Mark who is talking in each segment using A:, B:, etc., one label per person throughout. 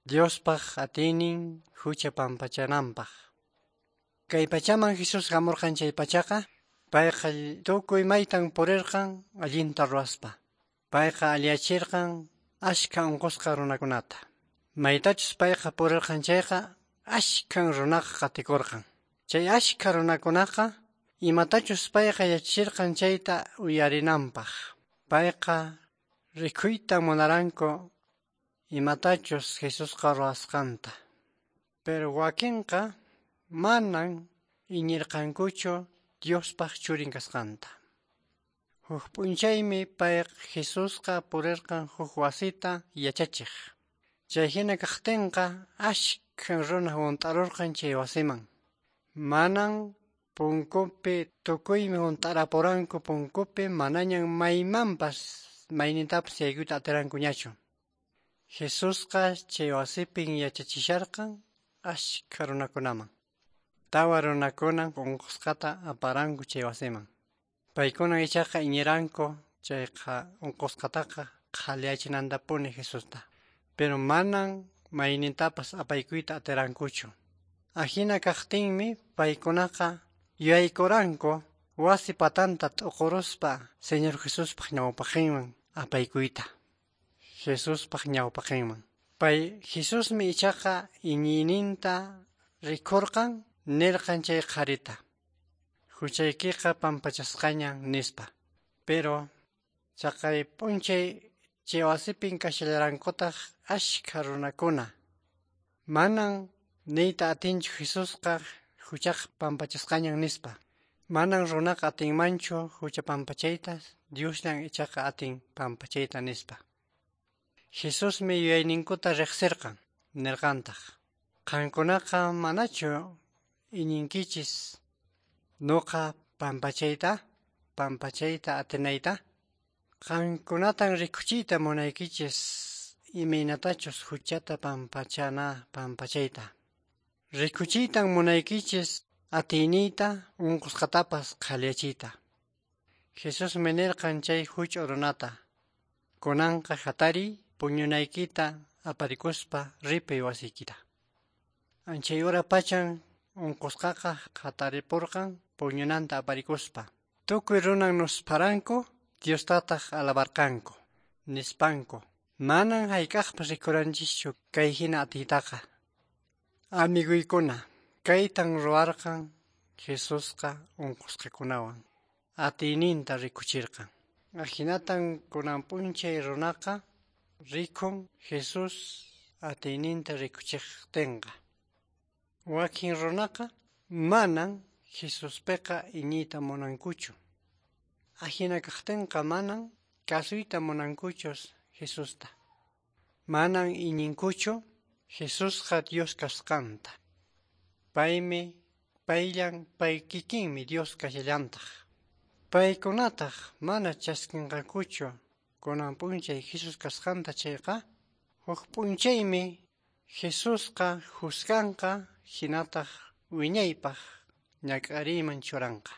A: Diospaq atiynin hucha pampachananpaq. Kay pachaman Jesús hamurqan chay pachaqa, payqa tukuy maytan purirqan allinta ruwaspa. Payqa alliyachirqan ashka unqusqa runakunata. Maytachus payqa purirqan chayqa ashkan runaqa qatikurqan. Chay ashka runakunaqa imatachus payqa yachachirqan chayta uyarinanpaq. Payqa rikuyta munaranku imatachus Jesusqa ruwasqanta. Pero wakinqa manan iñirqankuchu Diospaq churin kasqanta. Huk p'unchaymi pay Jesusqa purirqan huk wasita yachachiq. Chay hina kaqtinqa ashkan runa hunt'arurqan chay wasiman. Manan punkupi tukuymi hunt'arapuranku punkupi manañan maymanpas maynintapas yaykuyta atirankuñachu. Jesusqa chay wasipin yachachisharqan ashka runakunaman. Tawa runakuna unqusqata aparanku chay wasiman. Paykuna ichaqa iñiranku chayqa unqusqataqa qhaliyachinantapuni Jesusta. Pero manan maynintapas apaykuyta atirankuchu. Ahina kaqtinmi paykunaqa yuyaykuranku wasi patanta t'uquruspa Señor Jesuspaq ñawpaqinman apaykuyta. Jesuspaq ñawpaqinman. Pay Jesusmi ichaqa iñiyninta rikurqan nirqan chay qharita. Huchaykiqa pampachasqañan nispa. Pero chaqay p'unchay chay wasipin kashallarankutaq ashka runakuna. Manan niyta atinchu Jesusqa huchaqa pampachasqañan nispa. Manan runaqa atinmanchu hucha pampachayta, Diosllan ichaqa atin pampachayta nispa. Jesusmi yuyayninkuta riqsirqan, nirqantaq: Qankunaqa manachu iñinkichis nuqa pampachayta, pampachayta atinayta? Qankunatan rikuchiyta munaykichis imaynatachus huchata pampachana pampachayta. Rikuchiytan munaykichis atiyniyta unqusqatapas qhaliyachiyta. Jesusmi nirqan chay huch'u runata: Kunanqa hatariy puñunaykita aparikuspa ripuy wasiykita. Chay hora pachan unqusqaqa hataripurqan puñunanta aparikuspa. Tukuy runan nuspharanku Diostataq alabarqanku, nispanku: Manan hayk'aqpas rikuranchischu kay hina atiytaqa. Amiguykuna, kaytan ruwarqan Jesusqa unqusqakunawan. Atiyninta rikuchirqan. Ahinatan kunan p'unchay runaqa rikun Jesús atiyninta rikuchiqtinqa. Wakin runaqa manan Jesuspiqa iñiyta munankuchu. Ahina kaqtinqa manan kasuyta munankuchu Jesusta. Manan iñinkuchu Jesusqa Dios kasqanta. Paymi payllan pay kikinmi Dios kashallantaq. Paykunataq mana chaskinqakuchu kunan p'unchay Jesús kasqanta chayqa, huk p'unchaymi Jesusqa juzganqa hinataq wiñaypaq ñak'ariyman churanqa.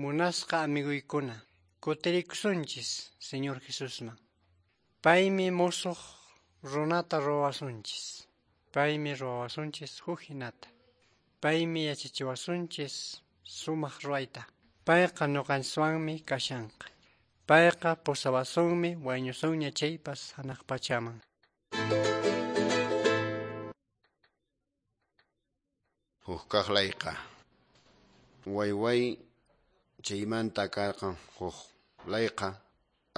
A: Munasqa amiguykuna, kutirikusunchis Señor Jesusman. Paymi musuq runata ruwasunchis. Paymi ruwasunchis huk hinata. Paymi yachachiwasunchis sumaq ruwayta. Payqa ñuqanchikwanmi kashanqa. Payqa pusawasunmi wañusunña chaypas hanaq pachaman.
B: Huk kaq layqa. Wayway chaymanta karqan huk layqa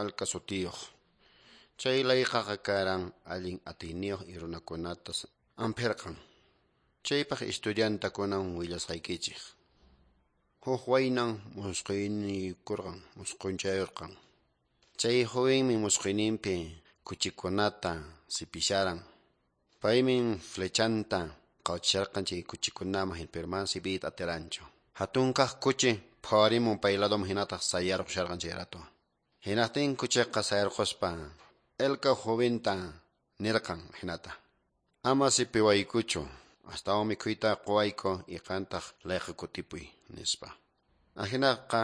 B: alka sutiyuq. Chay layqaqa karan allin atiyniyuq y runakunata ampirqan. Chaypaq estudiantakunan willasqaykichik. Huk waynan musquynikurqan, musqunchayurqan. Chay jovenmi musquyninpi kuchikunata sipisharan. Paymin flechanta qawchisharqan chay kuchikunaman pero mana sipiyta atiranchu. Hatunkaq kuchi phawarimun payladoman hinataq sayarqusharqan chay rato. Hinaqtin kuchiqa sayarquspa elka joventa nirqan hinata: Ama sipiwaykuchu, astawan mikhuyta quwayku y qantaq layqa kutipuy nispa. Ahinaqa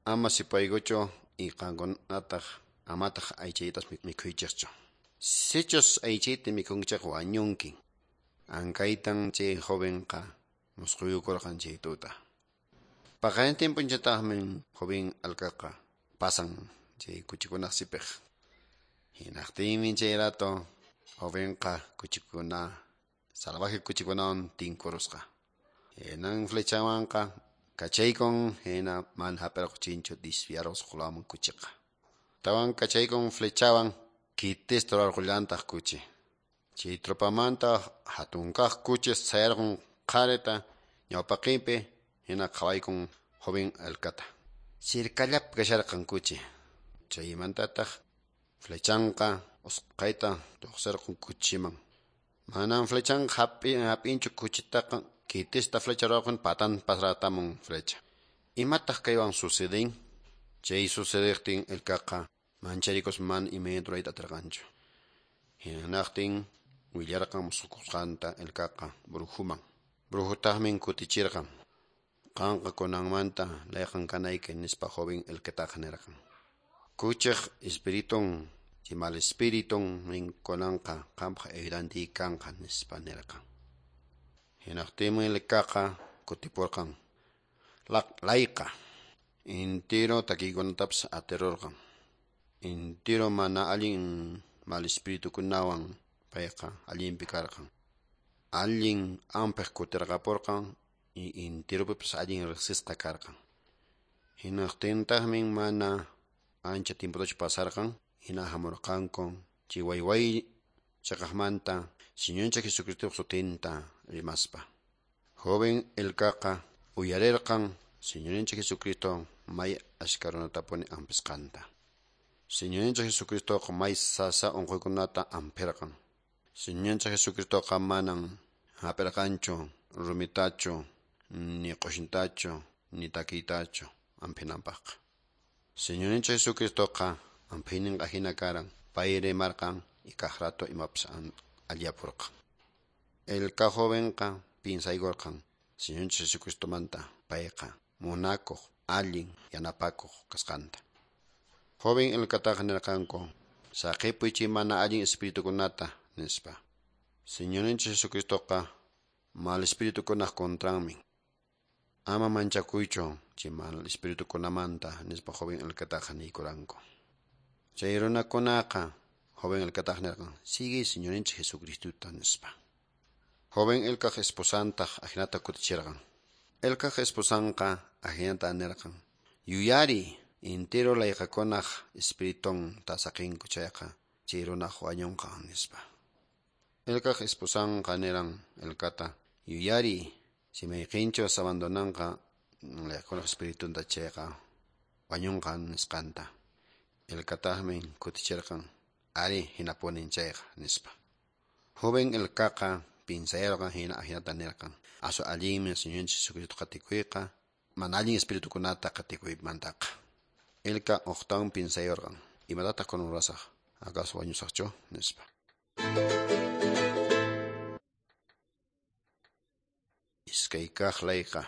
B: ama sipaykuchu y qankunataq amataq aychaytas mikhuychikchu. Sichus aychayta mikhunkichayqa wañunkin. Ankaytan chay jovenqa musquyukurqan chay tuta. Paqarintin p'unchaytaqmi joven alkaqa pasan chay kuchikunaq sipiq. Hinaqtinmi chay rato jovenqa kuchikuna salvaje kuchikunawan tinkurusqa. Hinan flechawanqa kachaykun hina mana hap'irquchinchu desviarusqa huk kuchiqa. Tawan kachaykun flechawan kitista rurarqullantaq kuchi. Chay tropamanta hatun kaq kuchi sayarqun qharita ñawpaqinpi hina qhawaykun joven alkata. Sirkallapi kasharqan kuchi. Chaymantataq flechanqa usqhayta lluqsirqun kuchiman. Manan flechanqa hap'inchu kuchitaqa kitista flecha rurarqun patan pasratamun flecha. Imataq kaywan sucedin? Chay sucediqtin elkaqa mancharikus mana imayna rurayta atirqanchu. Hinaqtin willarqan musqhukusqanta elkaqa brujuman. Brujutaqmi kutichirqan. Qanqa kunanmanta layqan kanayki nispa joven elkataqa nirqan. Kuchiq espiritun chay mal espiritun nin kunanqa qampaq ayudantiyki kanqa nispa nirqan. Hinaqtinmi elkaqa kutipurqan. Layqa intiro takiykunatapas atirurqan. Intiro mana allin mal espiritukunawan payqa allinpi karqan. Allin ampiq kutirqapurqan y intiropipas allin riqsisqa karqan. Hinaqtintaqmi mana ancha tiempotachu pasarqan, hina hamurqanku chay wayway chaqaqmanta Señorninchik Jesucristoq sutinta rimaspa. Joven elkaqa uyarirqan Señorninchik Jesucristo may ashka runatapuni ampisqanta. Señorninchik Jesucristoqa may sasa unquykunata ampirqan. Señorninchik Jesucristoqa manan hap'irqanchu rumitachu, ni q'ushintachu, ni takiytachu ampinanpaqqa. Señorninchik Jesucristoqa ampiyninqa hina karan, pay rimarqan y kaq rato imapas allapurqan. Elka jovenqa pinsaykurqan Señorninchik Jesucristomanta payqa munakuq, allin yanapakuq kasqanta. Joven elkataqa nirqanku, saqipuy chay mana allin espiritukunata nispa. Señorninchik Jesucristoqa mal espiritukunaq contranmi. Ama manchakuychu chay mal espiritukunamanta nispa joven elkataqa niykuranku. Chay runakunaqa joven elkataqa nirqan, sigue Señorninchik Jesucristota nispa. Joven elkaq esposantaq ahinata kutichirqan. Elkaq esposanqa ahinata nirqan, yuyari intiro layqakunaq espiritun saqinku chayqa chay runaq wañunqa nispa. Elkaq esposanqa niran elkata, yuyari si mayqinchus abandonanqa layqakunaq espiritunta chayqa wañunqa nisqanta. Elkataqmi kutichirqan, ari hinapunin chayqa nispa. Joven elkaqa pinsayarqan hina ahinata nirqan, asu allinmi Señorninchik Jesucristo qatikuyqa, mana allin espiritukunata qatikuymantaqa. Elka uqtawan pinsayurqan, imatataq kunan rurasaq, acaso wañusaqchu nispa. Iskay kaq layqa.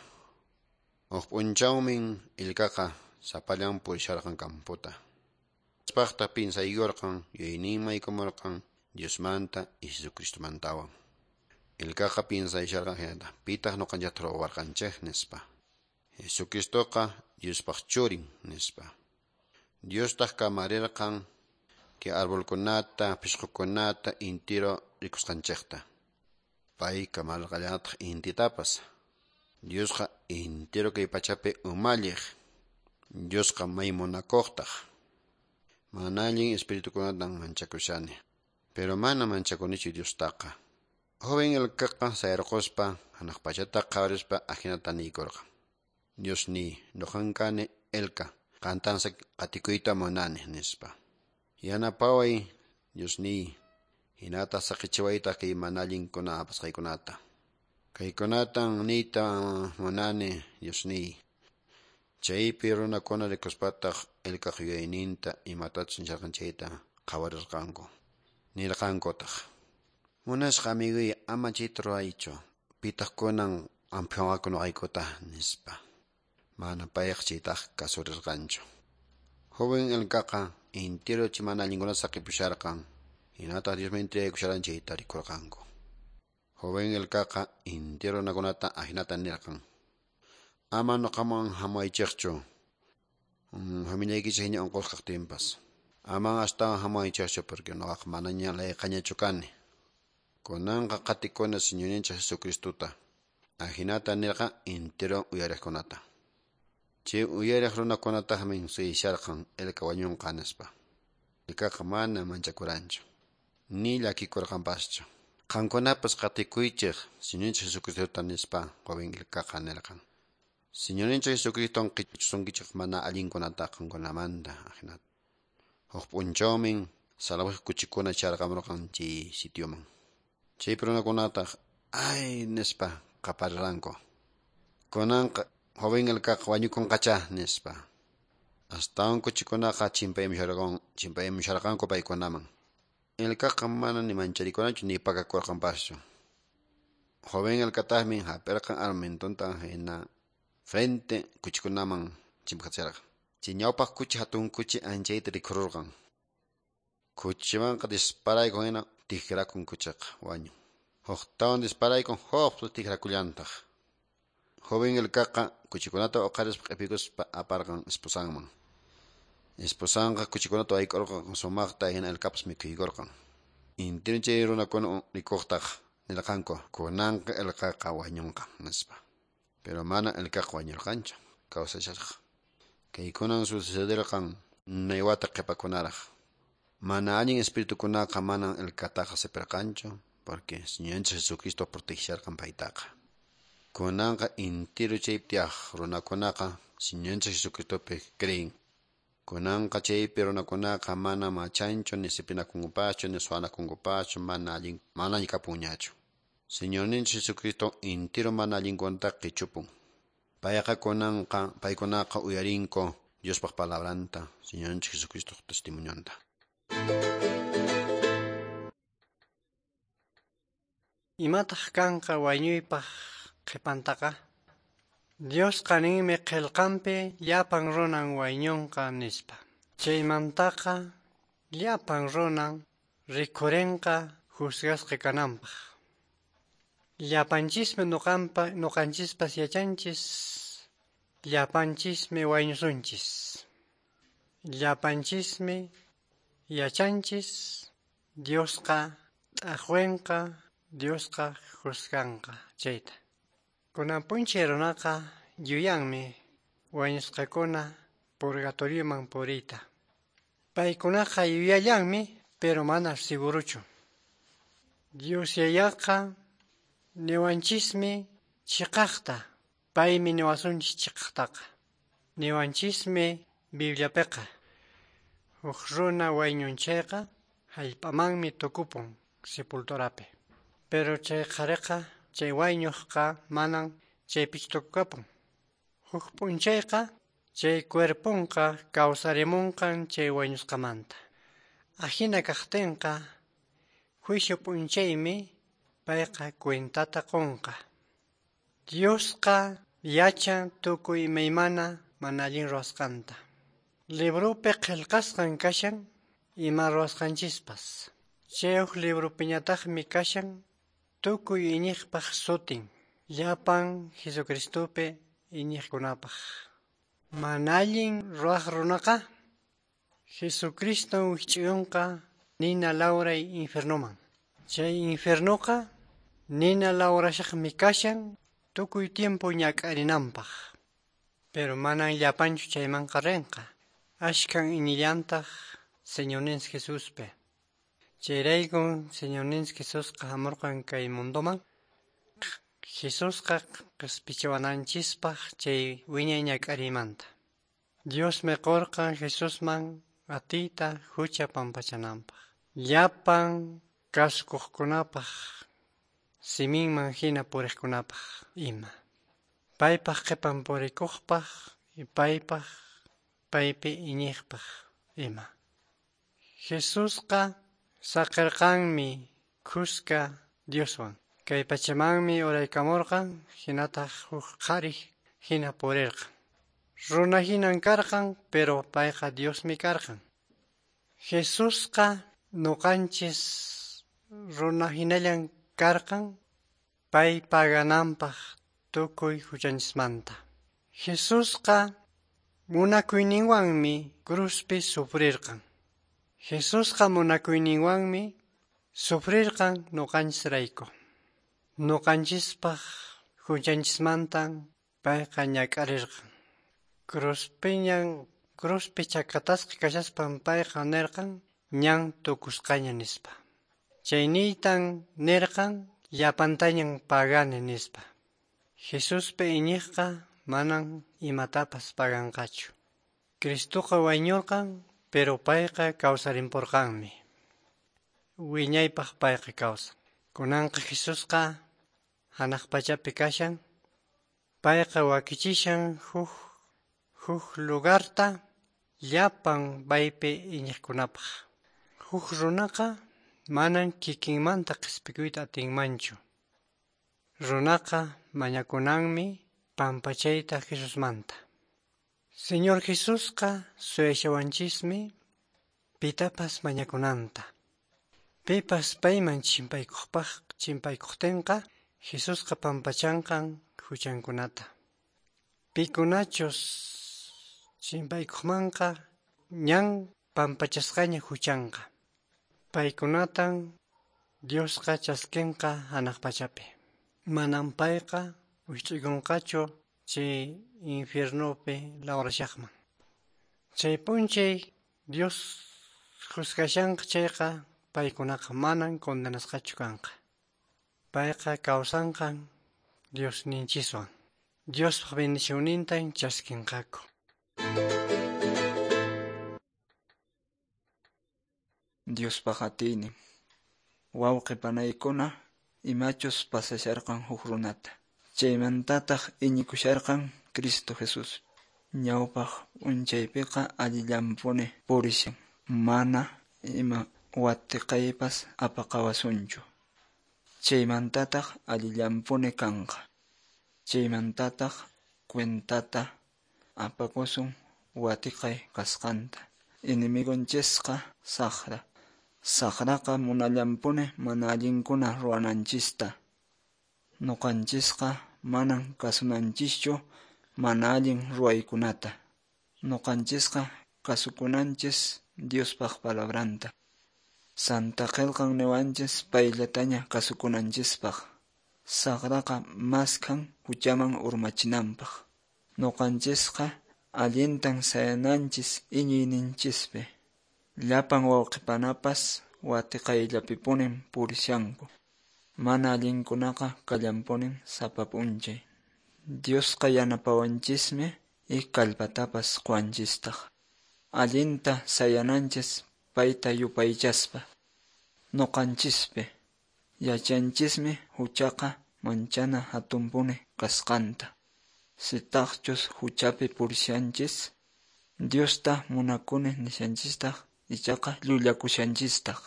B: Huk p'unchawmi elkaqa sapallan purisharqan camputa. Paqta pinsaykurqan yuyayninman yaykumurqan Diosmanta y Jesucristomantawan. Elkaqa pinsayasharqan hinata, pitaq ñuqanchikta ruwawarqanchik nispa. Jesucristoqa Diospaq churin nispa. Diostaq kamarirqan kay arbolkunata, pishqukunata intiro rikusqanchikta. Pay kamarqallataq intitapas. Diosqa intiro kay pachapi umalliq. Diosqa may munakuqtaq. Mana allin espiritukunatan manchakushani. Pero mana manchakunichu Diostaqa. Joven elkaqa sayarquspa hanaq pachata qhawarispa ahinata niykurqan. Dios niy, ñuqan kani elka, qantan qatikuyta munani nispa. Yanapaway, Dios niy, hinata saqichiwaytaq kay mana allinkuna apasqaykunata. Kaykunatan niyta munani, Dios niy. Chaypi runakuna rikuspataq elkaq yuyayninta imatachus nisharqan chayta qhawarirqanku. Nirqankutaq, munasqa amiguy ama chayta ruraychu, pitaq kunan ampiywanqaku ñuqaykuta nispa. Mana payqa chaytaqa kasurirqanchu. Joven elkaqa intiro chay mana allinkunata saqipusharqan. Hinataq Diosman entregaykusharan chayta rikurqanku. Joven Ilkaqa intiro runakunata ahinata nirqan: Ama nuqaman hamuwaychikchu, familiaykichik ña unqusqa kaqtinpas. Aman astawan hamuwaychikchu porque nuqaqa manaña layqañachu kani. Kunanqa qatikuna Señorninchik Jesucristota. Ahinata nirqan intiro uyariqkunata. Chay uyariq runakunataqmi suyasharqan Ilka wañunqa nispa. Ilkaqa mana manchakuranchu, ni llakikurqanpaschu. Qankunapas qatikuychik Señorninchik Jesucristota nispa joven Ilkaqa nirqan. Señorninchik Jesucriston qichusunkichik mana allinkunata qankunamanta ahinata. Huk p'unchawmin salvaje kuchikuna charqamurqan chay sitioman. Chaypi runakunataq ay nispa qaparirqanku. Kunanqa joven Ilkaqa wañukunqachá nispa. Astawan kuchikunaqa chimpaymusharqanku paykunaman. Ilkaqa mana ni mancharikuranchu ni pakakurqanpaschu. Joven Ilkataqmi hap'irqan armamentonta hina frente kuchikunaman chimpaqachirqan. Chay ñawpaq kuchi hatun kuchi anchayta rikhururqan. Kuchimanqa disparaykun hina tikrakun kuchiqa wañun. Huktawan disparaykun huk tikrakullantaq. Joven Ilkaqa kuchikunata uqarispa q'ipikuspa aparqan esposanman. Esposanqa kuchikunata wayk'urqan sumaqta hina Ilkapas mikhuykurqan. Intiro chay runakuna rikuqtaq nirqanku kunanqa Ilkaqa wañunqa nispa. Pero mana Ilkaqa wañurqanchu, kawsasharqa. Kaykunan sucederqan unay wata qhipakunaraq. Mana allin espiritukunaqa manan Ilkataqa sipirqanchu porque Señorninchik Jesucristo protegisharqan paytaqa. Kunanqa intiro chaypi tiyaq runakunaqa Señorninchik Jesucristopi creen. Kunanqa chaypi runakunaqa mana machanchu, ni sipinakunkupaschu, ni suwanakunkupaschu, mana allin mana kapunñachu. Señorninchik Jesucristo intiro mana allinkunata qichupun. Payqa kunanqa paykunaqa uyarinku Diospaq palabranta, Señorninchik Jesucristo testimonionta.
A: Imataq kanqa wañuypaq qhipantaqa? Diosqa ninmi qillqanpi llapan runan wañunqa nispa. Chaymantaqa llapan runan rikhurinqa juzgasqa kananpaq. Llapanchismi nuqanchispas yachanchis, llapanchismi wañusunchis. Llapanchismi yachanchis, Diosqa t'aqwinqa, Diosqa juzganqa chayta. Kunan p'unchay runaqa yuyanmi wañusqakuna purgatorioman puriyta. Paykunaqa yuyallanmi, pero mana seguruchu. Dios Yayaqa niwanchismi chiqaqta, paymi niwasunchis chiqaqtaqa. Niwanchismi Bibliapiqa. Huk runa wañun chayqa hallp'amanmi tukupun sepulturapi. Pero chay qhariqa, chay wañuqqa manan chaypichu tukukapun. Huk p'unchayqa chay cuerponqa kawsarimunqan chay wañusqamanta. Ahina kaqtinqa juicio p'unchaymi payqa cuentata qunqa. Diosqa yachan tukuy imaymana mana allin ruwasqanta. Libropi qillqasqan kashan ima ruwasqanchispas. Chay huk libropiñataqmi kashan tukuy iñiqpaq sutin, llapan Jesucristopi iñiqkunapaq. Mana allin ruwaq runaqa Jesucristo wikch'uyunqa nina lawray infiernoman. Chay infiernoqa nina lawrashaqmi kashan tukuy tiempo ñak'arinanpaq. Pero manan llapanchu chaymanqa rinqa. Ashkan iñillantaq Señorninchik Jesuspi. Chayraykun Señorninchik Jesusqa hamurqan kay mundoman. Jesusqa qispichiwananchispaq chay wiñay ñak'ariymanta. Diosmi qurqan Jesusman atiyta hucha pampachananpaq. Llapan kasukuqkunapaq, siminman hina puriqkunapaq ima. Paypaq qhipan purikuqpaq y paypaq paypi iñiqpaq ima. Jesusqa saqirqanmi kuska Dioswan. Kay pachamanmi uraykamurqan hinataq huk qhari hina purirqan. Runa hinan karqan, pero payqa Diosmi karqan. Jesusqa Nuqanchis runa hinallan karqan pay pagananpaq tukuy huchanchismanta. Jesusqa munakuyninwanmi cruzpi sufrirqan. Jesusqa munakuyninwanmi sufrirqan nuqanchisrayku. Nuqanchispaq huchanchismantan payqa ñak'arirqan. Cruzpiñan cruzpi chakatasqa kashaspan payqa nirqan ñan tukusqaña nispa. Chayniytan nirqan llapantañan pagani nispa. Jesuspi iñiqqa manan imatapas paganqachu. Cristoqa wañurqan, pero payqa kawsarimpurqanmi. Wiñaypaq payqa kawsan. Kunanqa Jesusqa hanaq pachapi kashan, payqa wakichishan huk lugarta llapan paypi iñiqkunapaq. Huk runaqa manan kikinmanta qispikuyta atinmanchu. Runaqa mañakunanmi pampachayta Jesusmanta. Señor Jesusqa suyashawanchismi pitapas mañakunanta. Pipas payman chimpaykuqtinqa Jesusqa pampachanqan huchankunata. Pikunachus chimpaykuqmanqa ñan pampachasqaña huchanqa. Paykunatan Diosqa chaskinqa hanaq pachapi. Manan payqa wich'ikunqachu chay infiernopi lawrashaqman. Chay p'unchay Dios juzgashanqa chayqa paykunaqa manan condenasqachu kanqa. Payqa kawsanqan Diosninchiswan. Diospaq bendicionnintan chaskinqaku.
C: Diospaq atiynin. Wawqi panaykuna imachus pasasharqan huk runata. Chaymantataq iñikusharqan Cristo Jesús. Ñawpaq p'unchaypiqa allillanpuni purishan. Mana ima watiqaypas apaqawasunchu. Chaymantataq allillanpuni kanqa. Chaymantataq cuentata apakusun watiqay kasqanta. Enemigonchisqa saqra. Saqraqa munallanpuni mana allinkuna ruwananchista. Nuqanchisqa manan kasunanchischu mana allin ruwaykunata. Nuqanchisqa kasukunanchis Diospaq palabranta. Santa qillqan niwanchis payllataña kasukunanchispaq. Saqraqa maskhan huchaman urmachinanpaq. Nuqanchisqa allintan sayananchis iñiyninchispi. Llapan wawqipanapas watiqayllapipunin purishanku. Mana allinkunaqa kallanpunin sapa p'unchay. Diosqa yanapawanchismi y kallpatapas quwanchistaq. Allinta sayananchis payta yupaychaspa. Nuqanchispi yachanchismi huchaqa manchana hatunpuni kasqanta. Sitaqchus huchapi purishanchis, Diosta munakuni nishanchistaq ichaqa llullakushanchistaq.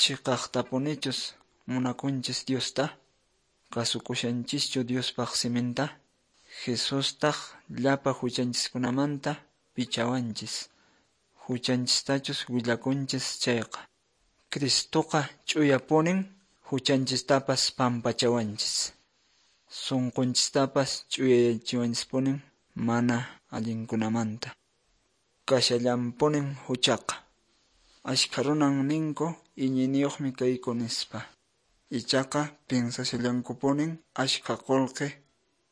C: Chiqaqtapunichus munakunchis Diosta, kasukushanchischu Diospaq siminta, Jesustaq llapa huchanchiskunamanta pichawanchis. Huchanchistachus willakunchis chayqa. Cristoqa ch'uyapunin huchanchistapas pampachawanchis. Sunqunchistapas ch'uyayachiwanchispunin mana allinkunamanta. Kashallanpunin huchaqa. Ashkha runan ninku iñiyniyuqmi kayku nispa. Ichaqa piensashallankupunin ashkha qullqi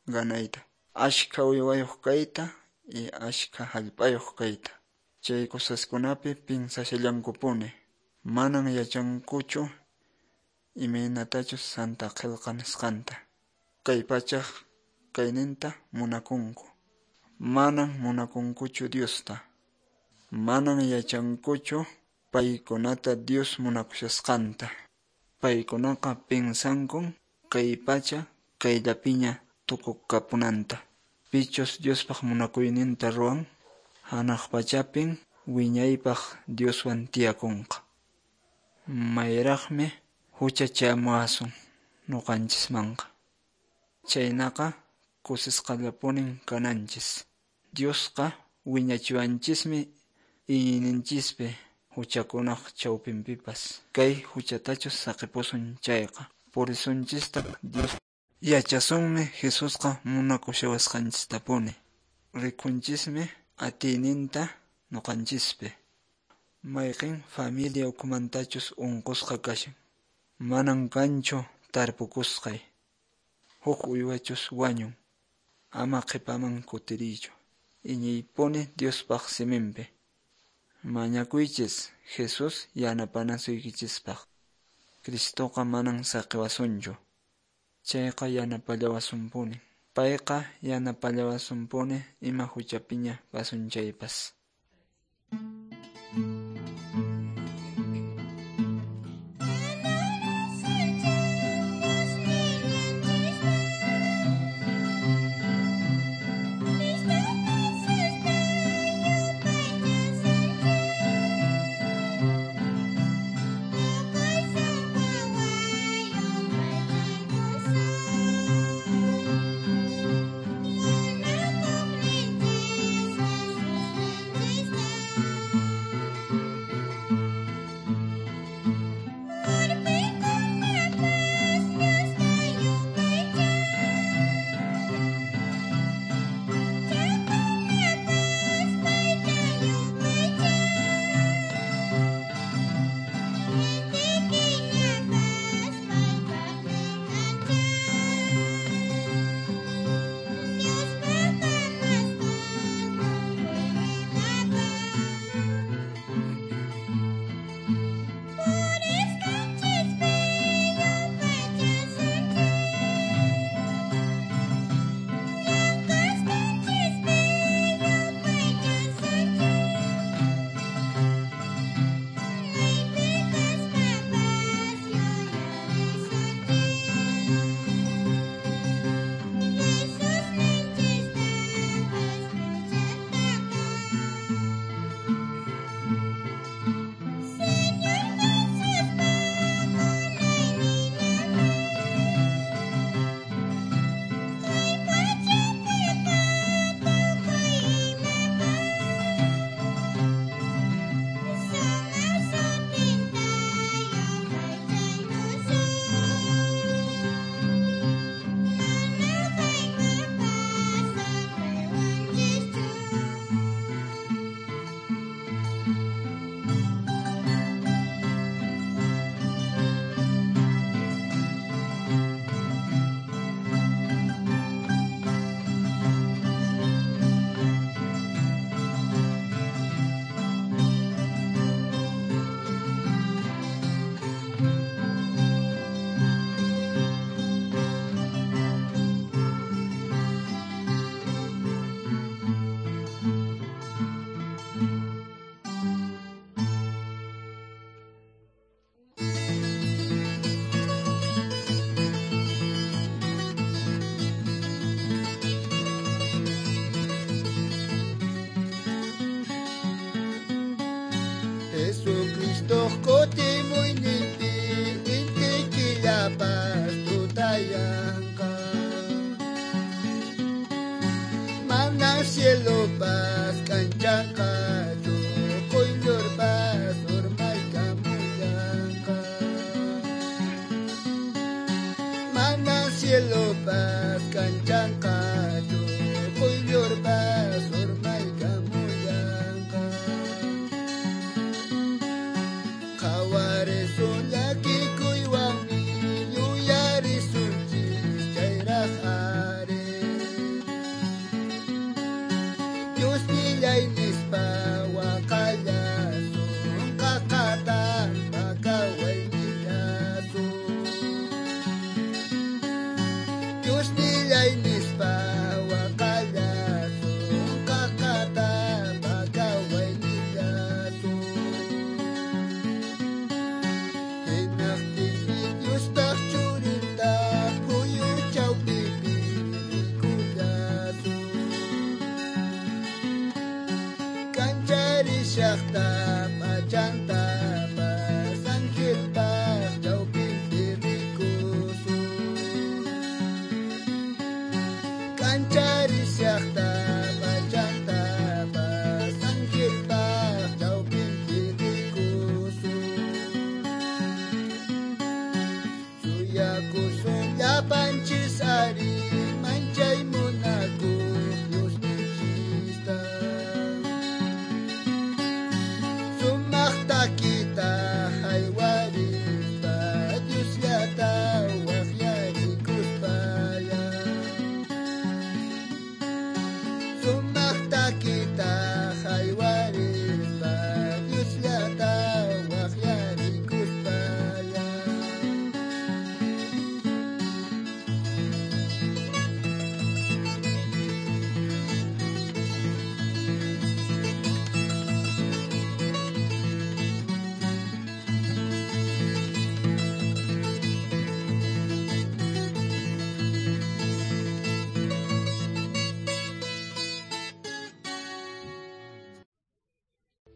C: ganayta, ashkha uywayuq kayta y ashkha hallp'ayuq kayta. Chay cosaskunapi piensashallankupuni. Manan yachankuchu imaynatachus Santa Qillqa nisqanta. Kay pachaq kayninta munakunku. Manan munakunkuchu Diosta. Manan yachankuchu paykunata Dios munakushasqanta. Paykunaqa piensankun kay pacha kayllapiña tukukapunanta. Pichus Diospaq munakuyninta ruwan, hanaq pachapin wiñaypaq Dioswan tiyakunqa. Mayraqmi huchachamuwasun nuqanchismanqa. Chaynaqa kusisqallapunin kananchis. Diosqa wiñachiwanchismi iñiyninchispi. Huchakunaq chawpinpipas kay huchatachus saqipusun chayqa purisunchistaq Dios yachasunmi Jesusqa munakushawasqanchistapuni rikunchismi atiyninta ñuqanchispi mayqin familia ukhumantachus unqusqa kashan manan kanchu tarpukusqay huk uywachus wañun ama qhipaman kutiriychu iñiypuni Diospaq siminpi mañakuychis Jesús yanapanasuykichispaq Cristoqa manan saqiwasunchu chayqa yanapallawasunpuni payqa yanapallawasunpuni ima huchapiña kasun chaypas.
D: Jesucristo kutimuyninpi inti killapas tutayanqa mana cielopas kanchanqachu quyllurpas urmaykamullanqa mana cielopas kanchanqachu quyllurpas urmaykamullanqa qhawarisun llakikuywanmi yuyarisunchis chayraq ari Diosnillay nispa waqallasun qaqatan pakawaynillasun Diosnillay nispa waqallasun qaqatan pakawaynillasun Hinaqtinmi Diospaq churinta phuyu chawpipi rikullasun kancharishaqta